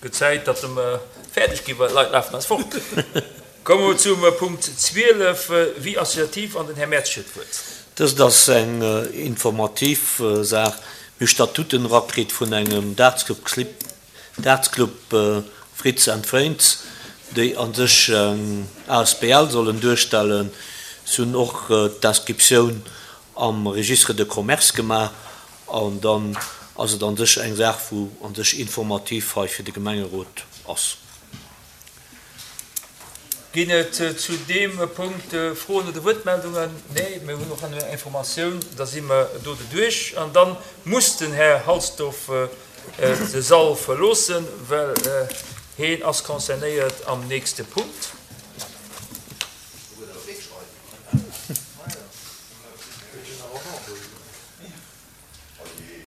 Gëtt Zäit, datt mer fäerdeg ginn, well d'Leit lafen eis fort. Komme mer zum Punkt 12, Vie associative, an den Här Mertz huet d'Wuert. Dëst ass eng informativ Saach. Mir hu Statuten erakritt vun engem Dartsclub, Dartsclub Fritz and Friends, déi a sech eng asbl sollen duerstellen. Si hunn och d'Inscriptioun am Registre de commerce gemaach an dann ass et a sech eng Saach, wou a sech informativ hei fir de Gemengerot ass. Ginn et zu deem Punkt Froen oder Wuertmeldungen? Nee, mir hunn och eng Informatioun, da si mer do doduerch. An da muss den Här Halsdorf de Sall verloossen, well heen ass concernéiert am nächste Punkt.